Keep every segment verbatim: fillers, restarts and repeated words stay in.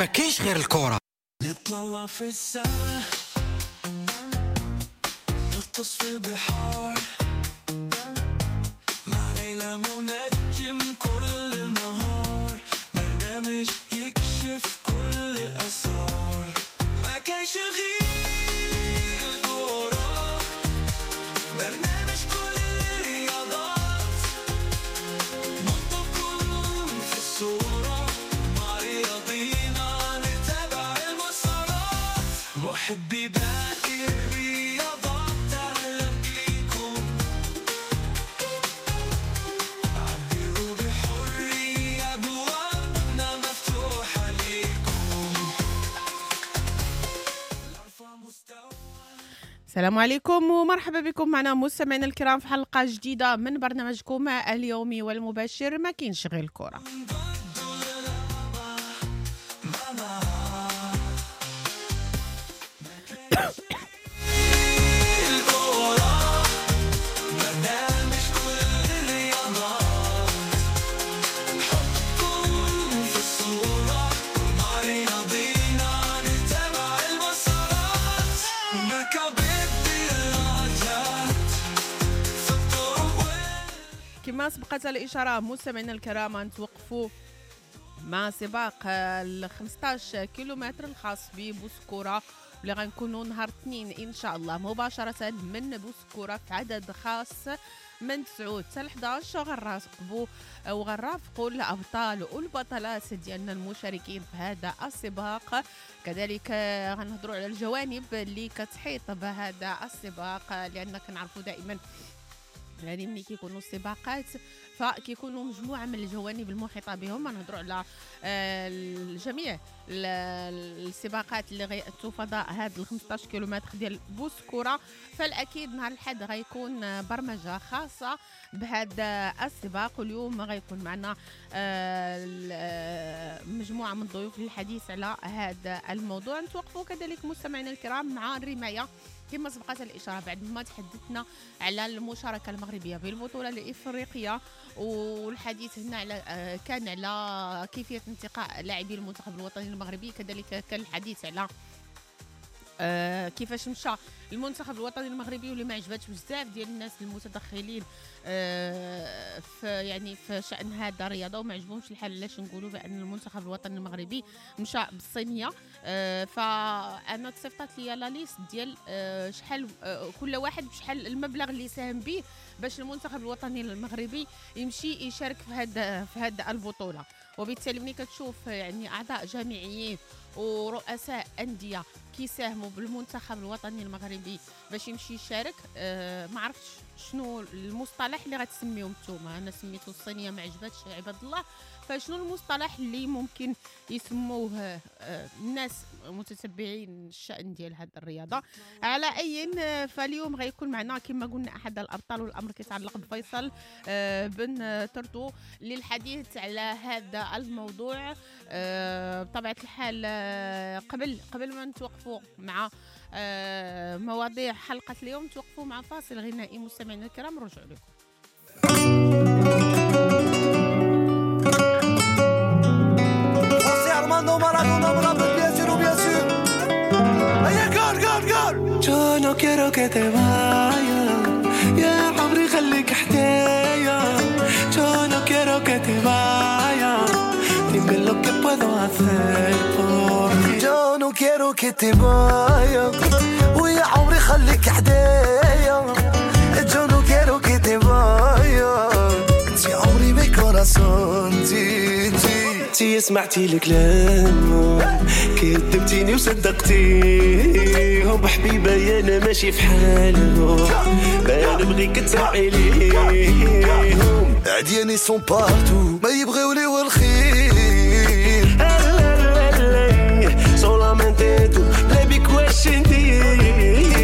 ما كاينش غير الكرة. نطلع في السما، نغطس في البحار، مع ليلى منجم كل النهار، برنامج يكشف كل الأسرار. ما كاينش غير الكرة، برنامج كل الرياضات، نحطكم في الصورة، مع رياضينا نتابع المسارات، محبي باقي الرياضات أهلا بيكم، عبروا بحرية، أبوابنا مفتوحة ليكم. أرفع مستوى. السلام عليكم ومرحبا بكم معنا مستمعينا الكرام في حلقة جديدة من برنامجكم اليومي والمباشر ما كاينش غير الكرة. الكرة، برنامج كل الرياضات، نحطكم في الصورة، مع رياضينا نتابع المسارات، نكبت الدراجات في الطرق. كما سبقت الإشارة مستمعينا الكرام نتوقفوا مع سباق ال خمسطاش كيلومتر الخاص ببوسكورة اللي غنكونوا نهار الاثنين ان شاء الله مباشرة من بوسكورة في عدد خاص من تسعة حتى حداش. غنراقبوا وغنرافقوا الابطال والبطلات ديالنا المشاركين في هذا السباق، كذلك غنهضروا على الجوانب اللي كتحيط بهذا السباق، لان كنعرفوا دائما يعني ملي كيكونوا السباقات فكيكونوا مجموعة من الجوانب المحيطة بهم. نهضروا على الجميع السباقات اللي غيأتوا فضاء هاد ال خمسطاش كيلومتر ديال بوسكورة. فالاكيد نهار الأحد غيكون برمجة خاصة بهذا السباق، واليوم غيكون معنا مجموعة من الضيوف للحديث على هذا الموضوع. نتوقفوا كذلك مستمعينا الكرام مع الرماية كما سبقت الإشارة بعد ما تحدثنا على المشاركة المغربية بالبطولة الإفريقية، والحديث هنا على كان على كيفية انتقاء لاعبي المنتخب الوطني المغربي، كذلك كان الحديث على آه كيفاش مشى المنتخب الوطني المغربي واللي ما عجباتش بزاف ديال الناس المتدخلين آه في يعني في شأن هذا الرياضة وما عجبهمش الحال. علاش نقولوا بان المنتخب الوطني المغربي مشى بالصينيه؟ آه فانا تصيفطات لي la liste ديال آه شحال آه كل واحد بشحال المبلغ اللي ساهم به باش المنتخب الوطني المغربي يمشي يشارك في هذا في هذا البطولة. وبالتالي ملي كتشوف يعني اعضاء جامعيين ورؤساء اندية كيساهموا بالمنتخب الوطني المغربي باش يمشي يشارك، أه ما عرفتش شنو المصطلح اللي غتسميهم نتوما. انا سميته الصينية ما عجبتش عباد الله، فشنو المصطلح اللي ممكن يسموه أه الناس متتبعين الشأن ديال هذه الرياضة؟ على اي، فاليوم غيكون معنا كما قلنا احد الابطال، والامر كيتعلق بفيصل أه بن ترتو للحديث على هذا الموضوع. أه بطبيعة الحال أه قبل قبل ما نتوقفوا مع أه مواضيع حلقة اليوم، توقفوا مع فاصل غنائي مستمعينا الكرام، رجعوا لكم. Yo no quiero que te vayas, يا عمري خليك حدايا. Yo no quiero que te vayas, dime lo que puedo hacer por ti. Yo no quiero que te vayas, ويا عمري خليك حدايا. Yo no quiero que te vayas, انتي عمري mi corazón، انتي انتي انتي سمعتي الكلام كذبتيني وصدقتيهم. حبيبه يا انا ماشي في حالهم، ما نبغيك تسمعي ليهم. عدياني sont partout، ما يبغيو لي والخير. Solamente tú بلا بيك واش ندير؟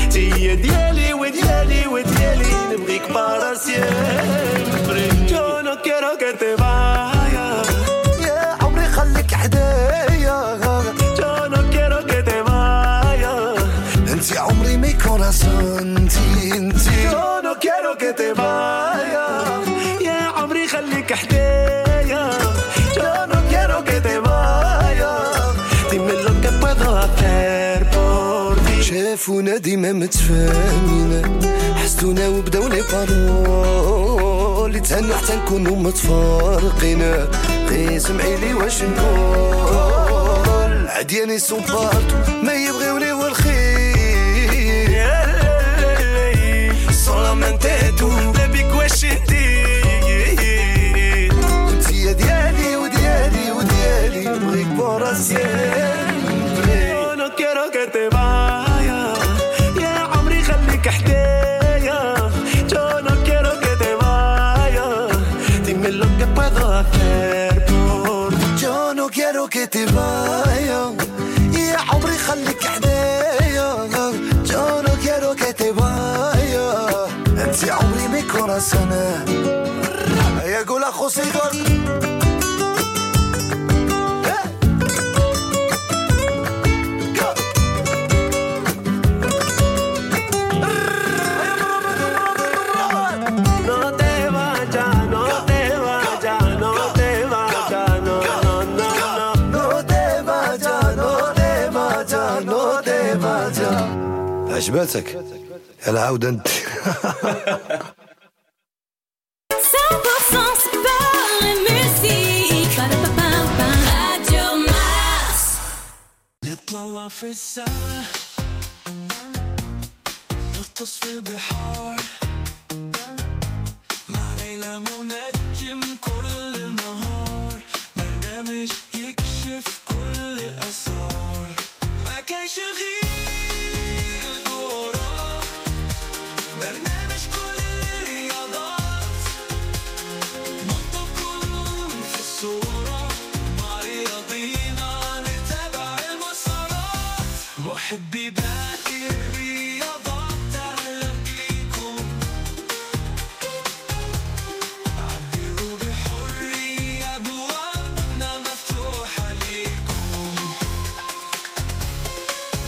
تي ديالي وديالي وديالي نبغيك para siempre. Yo no quiero que te vayas، يا عمري خليك حدايا. Yo no quiero que te vayas، انتي عمري mi corazón، انتي انتي. Yo no quiero que te vayas، يا عمري خليك حدايا. Yo no quiero que te vayas. شافونا ديما متفاهمين، حسدونا وبداو les paroles، تهنوا حتى نكونوا متفارقين. غير سمعي لي واش نقول، عدياني sont partout ما يبغيوني والخير. Solamente tú بيك واش ندير، انت يا ديالي وديالي وديالي، بغيك para siempre. Yo no quiero que te vayas يا عمري خليك حدايا. Yo no quiero que te vayas, dime lo que puedo hacer por. Yo no quiero que te vayas يا عمري خليك حدايا. Yo no quiero que te vayas، انت عمري mi corazón. يا قول اخو سيدور عجبتك العودة انت. نطلع في السما نغطس في البحار مع ليلى منجم كل النهار، برنامج يكشف كل الأسرار، ما كانش غير برنامج كل الرياضات، نحطكم في الصورة مع رياضينا نتابع المسارات، محبي باقي الرياضات أهلا بيكم، عبروا بحرية أبوابنا مفتوحة ليكم،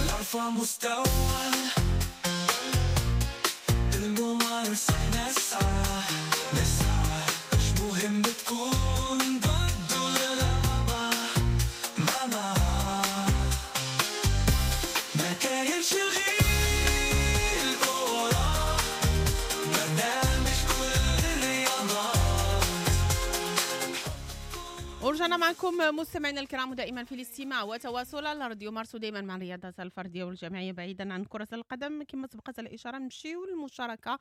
لأرفع مستوى نسعى نسعى، مش مهم تكون ضد ولا لا ما ما كاينش غير الكورة، برنامج كل الرياضات. ورجعنا معكم مستمعينا الكرام ودائما في الاستماع وتواصل على راديو مارس، ودائما مع الرياضات الفردية والجماعيه بعيدا عن كره القدم. كما سبقت الاشارة نمشيو للمشاركة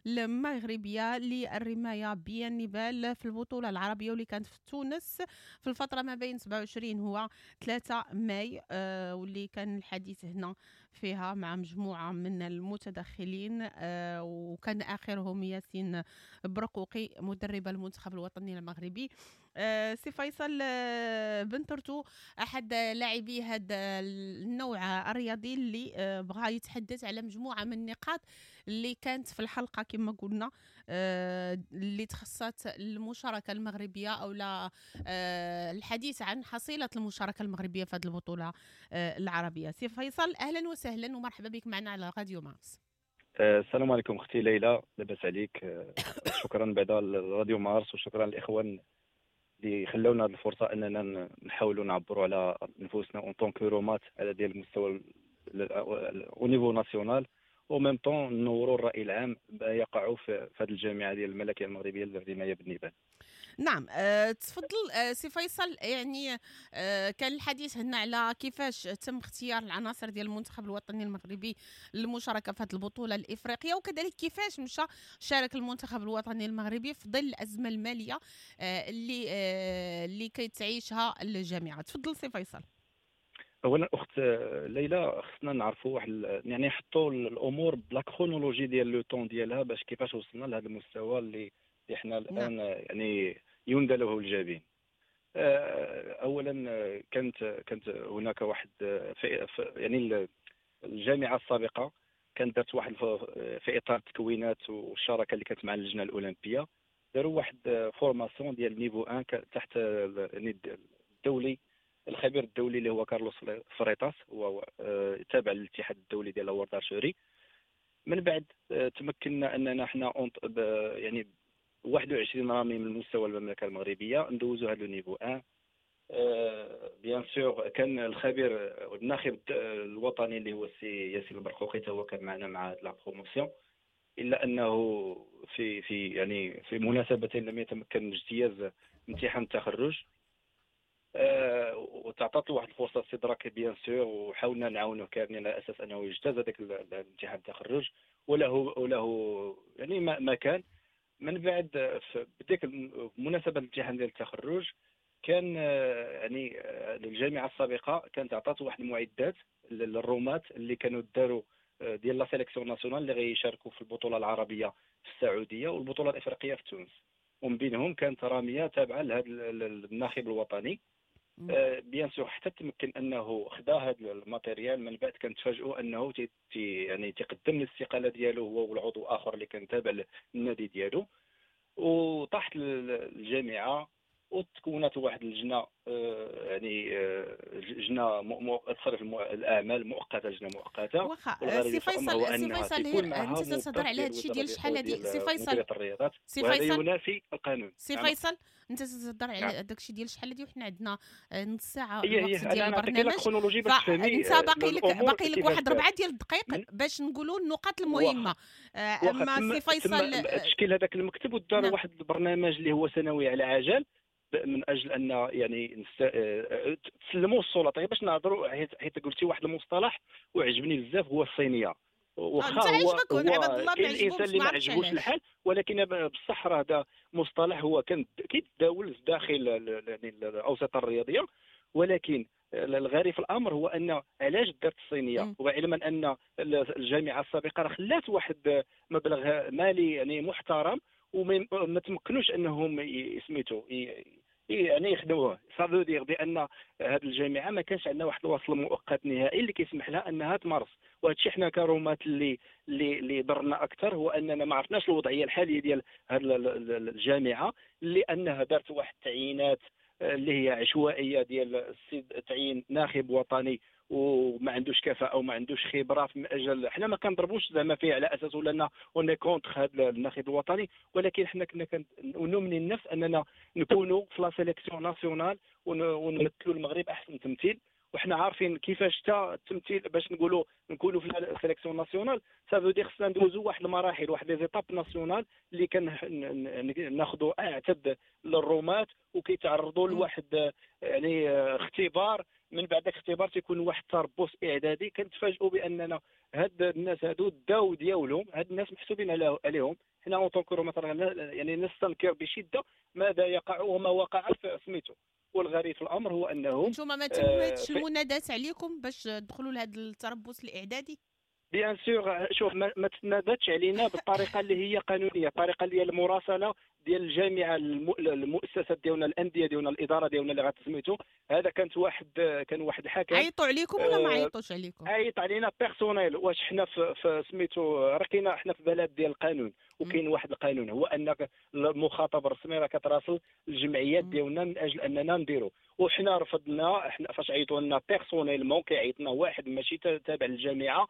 المغربية للرمايه بالنبال في البطولة العربية واللي كانت في تونس في الفترة ما بين سبعة وعشرين هو ثلاثة ماي، آه واللي كان الحديث هنا فيها مع مجموعة من المتدخلين، آه وكان اخرهم ياسين برقوقي مدرب المنتخب الوطني المغربي. آه سي فيصل آه بن ترتو احد لاعبي هذا النوع الرياضي اللي آه بغى يتحدث على مجموعة من النقاط اللي كانت في الحلقة كما قلنا آه اللي تخصت المشاركة المغربية او لا آه الحديث عن حصيله المشاركة المغربية في هذه البطولة آه العربية. سي فيصل اهلا وسهلا ومرحبا بك معنا على راديو مارس. السلام عليكم اختي ليلى، لاباس عليك؟ شكرا بعدا لراديو مارس وشكرا للاخوان اللي خلونا هذه الفرصة اننا نحاولوا نعبروا على نفوسنا en tant que رماة على ديال المستوى au niveau national و même temps نوروا الراي العام ما يقع في هذه الجامعة ديال الملكية المغربية للرمايه بالنبال. نعم أه تفضل أه سي فيصل، يعني أه كان الحديث هنا على كيفاش تم اختيار العناصر ديال المنتخب الوطني المغربي للمشاركة في هذه البطولة الافريقية، وكذلك كيفاش مشى شارك المنتخب الوطني المغربي في ظل الازمة المالية أه اللي أه اللي كتعيشها الجامعة. تفضل سي فيصل. اولا اخت ليلى خصنا نعرفوا واحد يعني نحطوا الامور ب la chronologie ديال le temps ديالها باش كيفاش وصلنا لهذا المستوى اللي اللي حنا الان يعني يندى له الجبين. اولا كانت كانت هناك واحد في يعني الجامعة السابقة كانت دارت واحد في اطار التكوينات والشراكه اللي كانت مع اللجنة الاولمبية، داروا واحد formation ديال niveau واحد تحت يعني الدولي الخبير الدولي اللي هو كارلوس فريطاس، هو تابع للاتحاد الدولي ديال World Archery. من بعد تمكنا اننا حنا يعني واحد وعشرين رامي من مستوى المملكة المغربية ندوزو هذا ال niveau واحد. bien sûr كان الخبير والناخب الوطني اللي هو السي ياسين البرقوقي هو كان معنا مع la promotion، الا انه في في يعني في مناسبتين لم يتمكن من اجتياز امتحان التخرج. أه وتعطات له واحد الفرصة استدراكيه bien sûr، وحاولنا نعاونه كاملين على اساس انه يجتاز هذاك الامتحان التخرج، وله وله يعني ما, ما كان. من بعد بديك بمناسبة الامتحان ديال التخرج كان يعني الجامعة السابقة كانت عطات واحد المعدات للرومات اللي كانوا داروا ديال la sélection nationale اللي غيشاركوا في البطولة العربية في السعودية والبطوله الافريقية في تونس، ومن بينهم كانت راميه تابعه لهذا الناخب الوطني. bien sûr حتى تمكن انه خدا هذا ال matériel. من بعد كنتفاجئوا انه تي يعني تقدم الاستقالة ديالو هو والعضو اخر اللي كان تابع للنادي ديالو، وطاحت الجامعة وتكونت واحد اللجنة يعني لجنة تصرف الاعمال مؤقتة، لجنة مؤقتة. واخا سي فيصل، سي فيصل انت تتهضر على هذا الشيء ديال شحال هذه سي فيصل، سي فيصل ينافي القانون. سي فيصل انت تتهضر على داك الشيء ديال شحال هذه وحنا عندنا نص ساعة الوقت ديال البرنامج، فانت باقي لك باقي لك واحد ربعه ديال الدقائق باش نقولوا النقاط المهمة. اما سي فيصل تشكيل هذاك المكتب ودار واحد البرنامج اللي هو سنوي على عجل من اجل ان يعني تسلموا السلطة. باش نهضروا حيت قلتي واحد المصطلح وعجبني بزاف هو الصينية، واخا هو كاين الانسان اللي ما عجبوش الحال، ولكن بصح راه هذا مصطلح هو كان كيتداول داخل يعني الاوساط الرياضية. ولكن الغريب في الامر هو ان علاش دارت الصينية، وعلما ان الجامعة السابقة راه خلات واحد مبلغ مالي يعني محترم وما تمكنوش انهم سميتو يعني يخدموه. ça veut dire بان هذه الجامعة ما كانش عندنا واحد الوصل مؤقت نهائي اللي كيسمح لها انها تمارس. وهذا الشيء حنا كرومات اللي اللي اللي ضرنا اكثر هو اننا ما عرفناش الوضعية الحالية ديال هذه الجامعة، لانها دارت واحد التعيينات اللي هي عشوائية ديال السيد تعيين ناخب وطني وما عندوش كفاءة وما عندوش خبره في اجل. حنا ما كنضربوش زعما فيه على اساس ولا on est contre هذا الناخب الوطني، ولكن حنا كنا كنؤمن النفس اننا نكونوا في la sélection nationale ونمثلوا المغرب احسن تمثيل. وحنا عارفين كيفاش حتى التمثيل باش نقولوا نكونوا في la sélection nationale ça veut dire خصنا ندوزو واحد المراحل، واحد les étapes nationales اللي كناخذوا اعتد للرومات وكيتعرضوا لواحد يعني اختبار. من بعد الاختبار تيكون واحد التربص اعدادي. كنتفاجئوا باننا هاد الناس هادو داو ديالهم، هاد الناس محسوبين عليهم. حنا en tant que مثلا يعني نستنكر بشده ماذا يقع وما وقع في سميتو. والغريب في الامر هو انه نتوما ما تمتش المنادات عليكم باش تدخلوا لهذا التربص الاعدادي. bien sûr شوف ما, ما تنادتش علينا بالطريقة اللي هي قانونية، الطريقة اللي هي المراسله ديال الجامعة، المؤسسات ديالنا، الاندية ديالنا، الادارة ديالنا اللي غتسميتو. هذا كانت واحد كان واحد الحكم. عيطوا عليكم ولا ما عيطوش عليكم؟ عيط علينا personnel. واش حنا في, في سميتو راه كاينه حنا في بلد ديال القانون، وكاين واحد القانون هو انك المخاطب الرسمي راه كتراسل الجمعيات ديالنا من اجل اننا نديرو. وحنا رفضنا. حنا فاش عيطوا لنا personnellement كيعيط لنا واحد ماشي تابع للجامعة،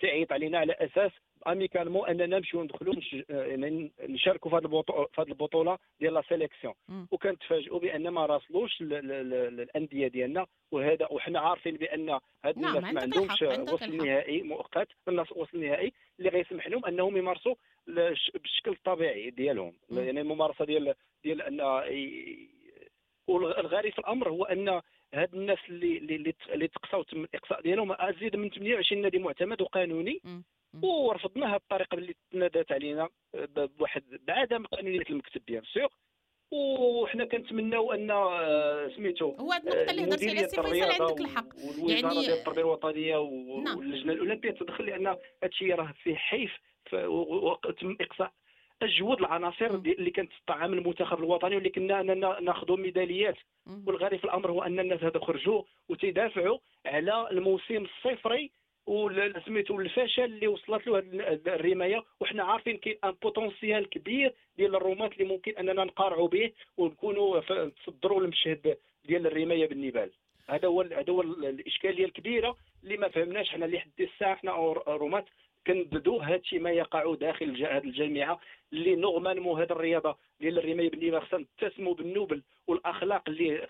تعيط علينا على اساس amicalement اننا نمشيو ندخلوا يعني نشاركوا في هذه البطولة في هذه البطولة ديال la sélection. وكنتفاجئوا بان ما راسلوش الاندية ديالنا. وهذا وحنا عارفين بان هاد الناس ما عندهمش وصل نهائي مؤقت، الناس وصل نهائي اللي غيسمح لهم انهم يمارسوا بالشكل الطبيعي ديالهم، يعني الممارسة ديال ديال ان. والغريب في الامر هو ان هاد الناس اللي اللي اللي تقصاو تم الاقصاء ديالهم ازيد من ثمانية وعشرين نادي معتمد وقانوني، ورفضناها بالطريقة اللي تنادات علينا بواحد بعدم قانونية المكتب bien sûr. وحنا كنتمناو ان سميتو هو هاد النقطة اللي هضرتي عليها سي فيصل عندك الحق، يعني ديال التربية الوطنية واللجنة الاولمبية تدخل، لان هذا الشيء راه فيه حيف وتم اقصاء اجود العناصر اللي كانت تطعم المنتخب الوطني واللي كنا اننا ناخذوا ميداليات. والغريب في الامر هو ان الناس هذو خرجوا وتدافعوا على الموسم الصفري وسميتو الفشل اللي وصلت له هذه الرماية. وحنا عارفين كاين un potentiel كبير ديال الرماة اللي ممكن اننا نقارعوا به ونكونوا نتصدروا المشهد ديال الرماية بالنبال. هذا هو هذا هو الاشكالية الكبيرة اللي ما فهمناش حنا اللي حد الساعة. حنا رماة كنددوا هذا الشيء ما يقع داخل هذه الجامعة اللي normalement هذه الرياضة ديال الرماية بالنبال خصنا نتسموا بالنوبل والاخلاق اللي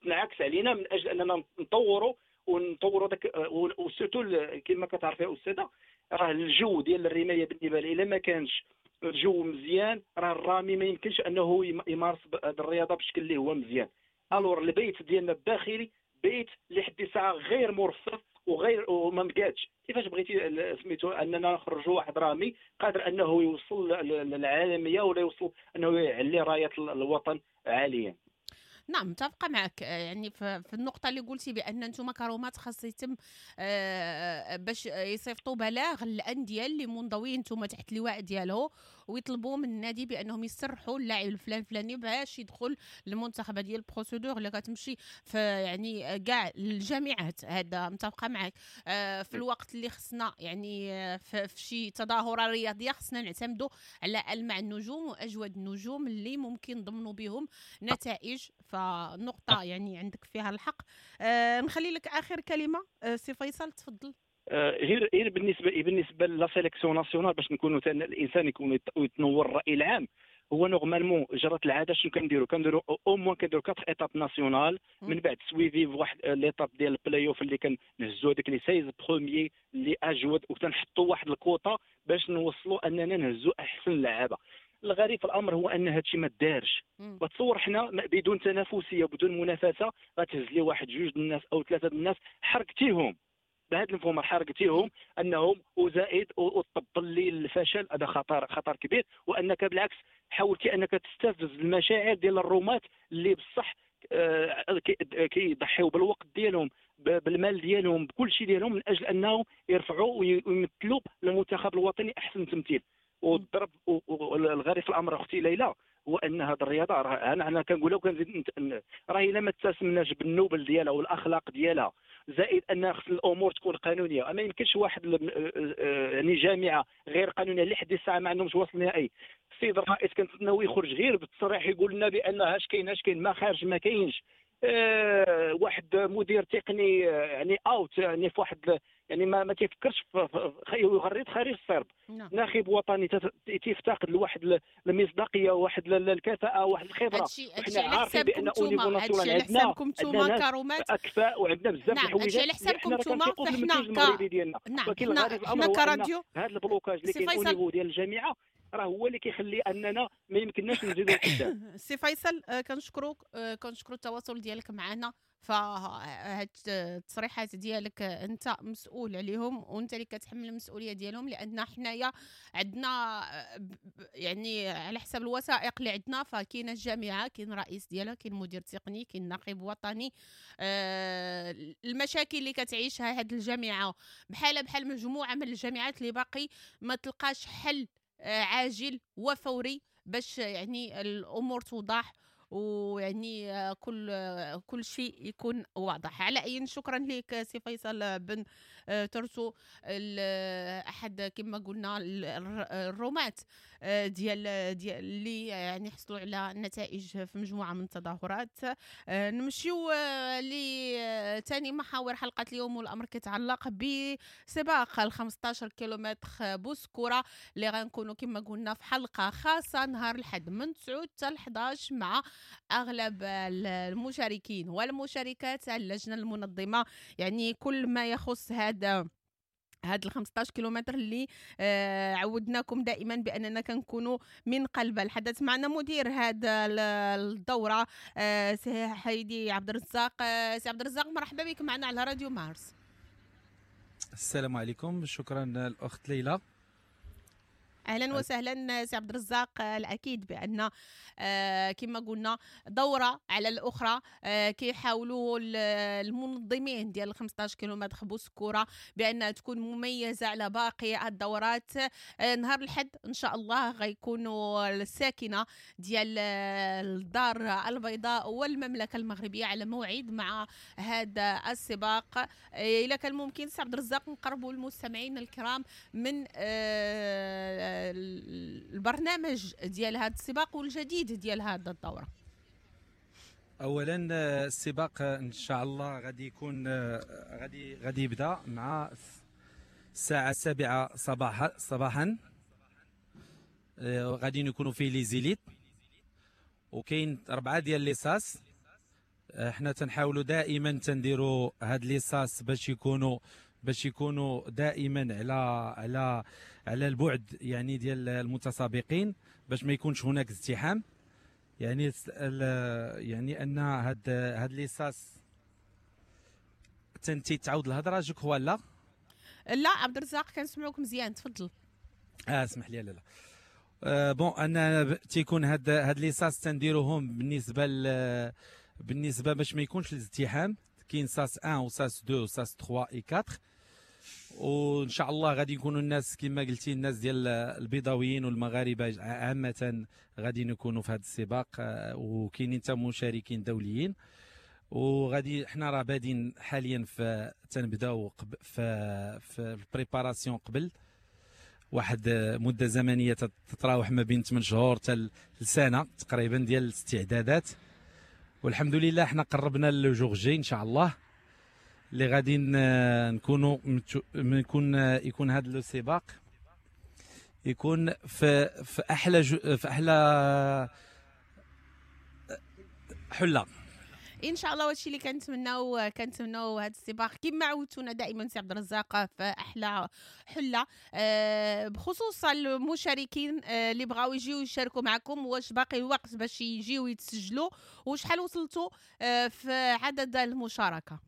تنعكس علينا من اجل اننا نطوروا ونطوروا داك، و surtout كما كتعرفي يا استاذه راه الجو ديال الرماية بالنسبة لي الا ما كانش الجو مزيان راه الرامي ما يمكنش انه يمارس هذه الرياضة بشكل اللي هو مزيان. alors البيت ديالنا الداخلي بيت لحد الساعة غير مرصف وغير وما مقادش. كيفاش بغيتي سميتو اننا نخرجوا واحد رامي قادر انه يوصل للعالمية ولا يوصل انه يعلي رايه الوطن عاليا؟ نعم متفقه معك، يعني في النقطة اللي قلتي بان انتم كرومات خاص يتم باش يصيفطوا بلاغ للاندية اللي منضويين انتم تحت اللواء ديالو، ويطلبوا من النادي بانهم يسرحوا اللاعب الفلان الفلاني باش يدخل للمنتخب. ديال ال procédure اللي كتمشي في يعني كاع الجامعات، هذا متفقه معك. في الوقت اللي خصنا يعني في شي تظاهرة رياضية خصنا نعتمدوا على المع النجوم واجود النجوم اللي ممكن نضمنوا بهم نتائج، فنقطة يعني عندك فيها الحق. أه نخلي لك آخر كلمة أه سي فيصل، تفضل. غير غير بالنسبة بالنسبة la sélection nationale باش نكونوا الانسان يكون يتنور الراي العام، هو normalement جرت العادة شنو كنديروا؟ كنديروا au moins كنديروا quatre étapes nationales، من بعد suivies بواحد l'étape ديال البلاي اوف اللي كنهزوا هذيك les seize premiers اللي اجود، وتنحطوا واحد الكوطه باش نوصلوا اننا نهزوا احسن لعابه. الغريب في الامر هو ان هادشي ما دارش. وتصور حنا بدون تنافسية وبدون منافسه غتهز لي واحد جوج الناس او ثلاثة الناس، حركتيهم بهذا المفهوم، حركتيهم انهم وزائد وتطبل لي الفشل، هذا خطر خطر كبير. وانك بالعكس حاولتي انك تستفز المشاعر ديال الرومات اللي بصح كيضحيو بالوقت ديالهم بالمال ديالهم بكل شيء ديالهم من اجل انهم يرفعوا ويمثلوا المنتخب الوطني احسن تمثيل. والضرب والغريب في الامر اختي ليلى هو ان هذه الرياضة راه انا انا كنقولها وكنزيد راه الا ما تسمناش بالنوبل ديالها والاخلاق ديالها، زائد ان خص الامور تكون قانونية. ما يمكنش واحد يعني جامعه غير قانونية لحد الساعة ما عندهمش وصل نهائي. السيد الرئيس كنتسناو يخرج غير بالتصريح يقول لنا بان اش كاين اش كاين، ما خارج ما كاينش. أه واحد مدير تقني يعني out يعني في واحد يعني ما ما تيفكرش يغرد خارج الصرب. نعم. ناخب وطني تيفتقد لواحد المصداقية واحد الكفاءة واحد الخبرة. حنا عارفين بان au niveau national عندنا عندنا كرومات اكفاء وعندنا بزاف نعم. الحوايج. على حسابكم نتوما فحنا ك... نعم. ولكن حنا كراديو هذا ال blocage اللي كاين au niveau ديال الجامعة راه هو اللي كيخلي اننا ما يمكنناش نزيدوا لقدام. سي فيصل كنشكروك، كنشكرو التواصل ديالك معنا، فهاد التصريحات ديالك انت مسؤول عليهم وانت اللي كتحمل المسؤولية ديالهم، لان حنايا عندنا يعني على حسب الوثائق اللي عندنا فكاينه الجامعة، كاين رئيس ديالها، كاين مدير تقني، كاين نقيب وطني. آه المشاكل اللي كتعيشها هاد الجامعة بحال بحال مجموعة من الجامعات اللي باقي ما تلقاش حل عاجل وفوري باش يعني الامور توضح ويعني كل كل شيء يكون واضح. على اي شكرا لك سي فيصل بن ترتو، احد كما قلنا الرماة ديال ديال اللي يعني حصلوا على نتائج في مجموعة من التظاهرات. نمشيو لثاني محاور حلقة اليوم، والامر كيتعلق بسباق ال خمسطاش كيلومتر بوسكوره اللي غنكونوا كما قلنا في حلقة خاصة نهار الاحد من تسعة حتى إحداش مع اغلب المشاركين والمشاركات اللجنة المنظمة، يعني كل ما يخص هذا هاد ال خمسطاش كيلومتر اللي آه عودناكم دائما باننا كنكونوا من قلب الحدث. معنا مدير هذا الدورة آه سي حيدي عبد الرزاق. آه سي عبد الرزاق مرحبا بك معنا على راديو مارس. السلام عليكم، شكرا الاخت ليلى. اهلا وسهلا سي عبد الرزاق. الاكيد بان كما قلنا دوره على الاخرى كيحاولوا المنظمين ديال خمسطاش كيلومتر بوسكوره بانها تكون مميزة على باقي الدورات. نهار الاحد ان شاء الله غيكونوا الساكنة ديال الدار البيضاء والمملكة المغربية على موعد مع هذا السباق. اذا كان ممكن سي عبد الرزاق نقربوا المستمعين الكرام من البرنامج ديال هذا السباق والجديد ديال هذا الدورة. اولا السباق ان شاء الله غادي يكون غادي غادي يبدا مع الساعة السابعة صباحا صباحا غادي يكونوا فيه les élites، وكاين اربعة ديال les sas، حنا تنحاولوا دائما تنديروا هاد les sas باش يكونوا باش يكونوا دائما على على على البعد يعني ديال المتسابقين باش ما يكونش هناك ازدحام. يعني يعني ان هاد هاد les sas تنتي تعاود الهضرة je crois. لا لا عبد الرزاق، كنسمعوك مزيان، تفضل. اه اسمح لي. لا لا آه bon، انا تيكون هاد هاد les sas تنديروهم بالنسبة ل بالنسبة باش ما يكونش الازدحام. كاين sas واحد و sas اثنين و sas ثلاثة et أربعة، وان شاء الله غادي يكونوا الناس كما قلتي، الناس ديال البيضاويين والمغاربة عامة غادي يكونوا في هذا السباق، آه، وكاينين حتى مشاركين دوليين. وغادي حنا راه بادين حاليا في تنبداو في في ال préparation قبل واحد مده زمنية تتراوح ما بين ثمانية شهور حتى لسنه تقريبا ديال الاستعدادات. والحمد لله حنا قربنا le jour J ان شاء الله اللي غادي نكونوا نكون يكون هذا le سباق يكون في في احلى في احلى حله ان شاء الله. وهادشي اللي كنتمناو، كنتمناو هذا السباق كما عودتونا دائما سي عبد الرزاق في احلى حله. آه، بخصوص المشاركين آه، اللي بغاو يجيو يشاركوا معكم، واش باقي الوقت باش يجيو يتسجلوا؟ وشحال وصلتوا آه، في عدد المشاركة؟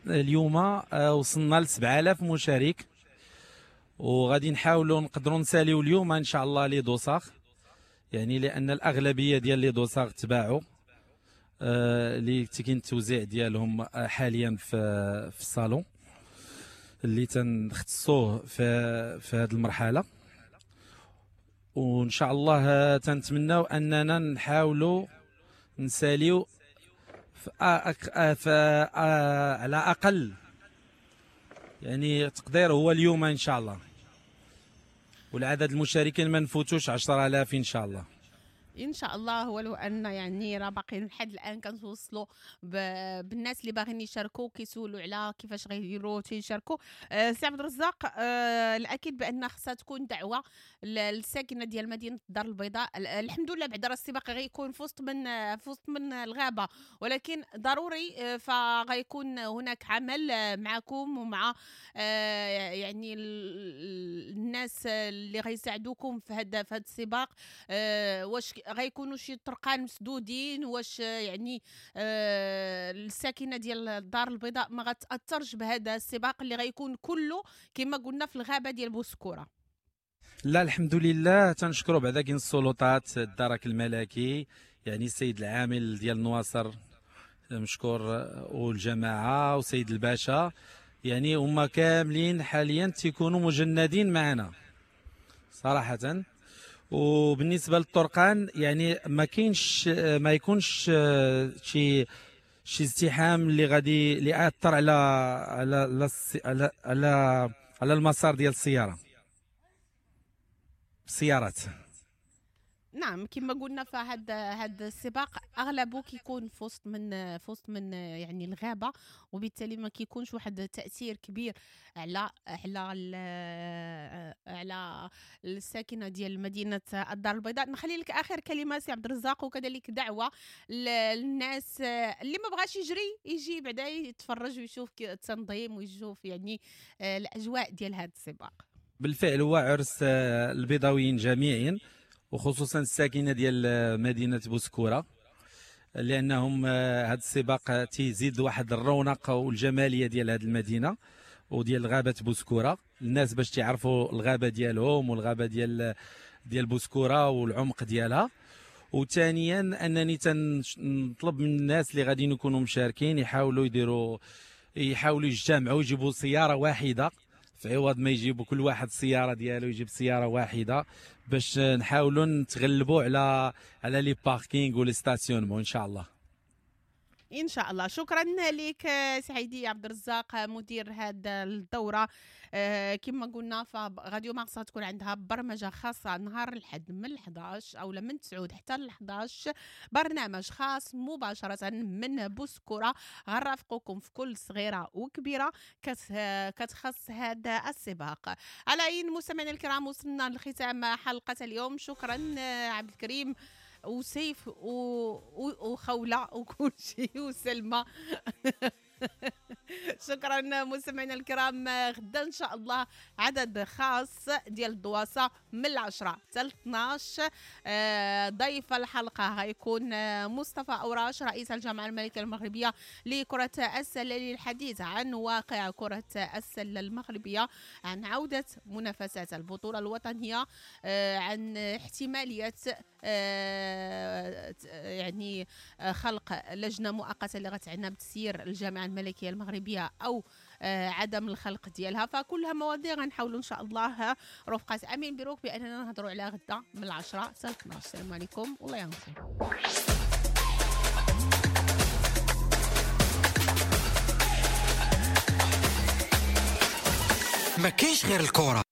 اليوم وصلنا ل سبعة آلاف مشارك، وغادي نحاولوا نقدروا نساليو اليوم ان شاء الله les dossards، يعني لان الاغلبية ديال les dossards تباعوا آه، اللي كاين التوزيع ديالهم آه، حاليا في في الصالون اللي تنختصوه في في هذه المرحله. وان شاء الله آه، تنتمناو اننا نحاولوا نساليو في, في على اقل يعني تقدير هو اليوم ان شاء الله، والعدد المشاركين ما نفوتوش عشرة آلاف ان شاء الله. ان شاء الله، ولو ان يعني راه باقيين لحد الان كنتوصلوا بالناس اللي باغيين يشاركوا، كيسولوا على كيفاش غيديروا تيشاركوا. آه سي عبد الرزاق، آه الاكيد بان خصها تكون دعوه للساكنه ديال مدينة الدار البيضاء. الحمد لله بعدا راه السباق غيكون في وسط من في وسط من الغابه، ولكن ضروري آه، فغيكون هناك عمل معكم ومع آه يعني الناس اللي غيساعدوكم في هذا في هذا السباق. آه واش غيكونوا شي طرقان مسدودين؟ واش يعني آه الساكنة ديال الدار البيضاء ما غتاثرش بهذا السباق اللي غيكون كله كما قلنا في الغابة ديال بوسكوره؟ لا، الحمد لله، تنشكروا بعدا كاين السلطات، الدرك الملكي، يعني السيد العامل ديال النواصر مشكور، والجماعة وسيد الباشا، يعني هما كاملين حاليا تيكونوا مجندين معنا صراحه. وبالنسبة للطرقان يعني ما كاينش، ما يكونش شي شي ازدحام اللي غادي اللي ياثر على على على على على المسار ديال السيارة السيارات. نعم، كما قلنا فهاد هاد السباق اغلبه كيكون في وسط من في وسط من يعني الغابه، وبالتالي ما كيكونش واحد التاثير كبير على على على الساكنة ديال مدينة الدار البيضاء. نخلي لك اخر كلمة سي عبد الرزاق، وكذلك دعوه للناس اللي ما بغاش يجري يجي بعدا يتفرج ويشوف التنظيم ويشوف يعني الاجواء ديال هذا السباق. بالفعل هو عرس البيضاويين جميعا، وخصوصا الساكنة ديال مدينة بوسكوره، لانهم هذا السباق تيزيد واحد الرونق والجماليه ديال هذه المدينة وديال غابه بوسكوره. الناس باش تعرفوا الغابة ديالهم والغابه ديال ديال بوسكوره والعمق ديالها. وثانيا انني تنطلب من الناس اللي غاديين يكونوا مشاركين يحاولوا يديروا يحاولوا يجتمعوا، يجيبوا سيارة واحدة في عوض ما يجيبوا كل واحد السيارة ديالو، يجيب سيارة واحدة باش نحاولوا نتغلبوا على على les parkings و les stationnements ان شاء الله. ان شاء الله. شكرا لك سعيدي عبد الرزاق، مدير هذا الدوره. آه، كما قلنا فراديو مارس تكون عندها برمجة خاصة نهار الحد من إحداش او من تسعة حتى ل إحداش، برنامج خاص مباشرة من بوسكوره، غنرافقكم في كل صغيرة وكبيره كتخص هذا السباق. على اي، مستمعينا الكرام، وصلنا لختام حلقة اليوم. شكرا آه، عبد الكريم. وسيف وخوله وكل شيء وسلمى. شكرا مستمعينا الكرام. غدا ان شاء الله عدد خاص ديال الدواسه من العشرة حتى اثناش. ضيف الحلقة غيكون مصطفى اوراش رئيس الجامعة الملكية المغربية لكرة السلة للحديث عن واقع كره السلة المغربية، عن عوده منافسات البطولة الوطنية، عن احتمالية يعني خلق لجنة مؤقتة اللي غتعنى بتسيير الجامعة الملكية المغربية او عدم الخلق ديالها. فكلها مواضيع غنحاولوا ان شاء الله رفقه امين بيروك باننا نهضروا عليها غدا من العشرة حتى اثناش. السلام عليكم والله ينصر. ما كاينش غير الكره.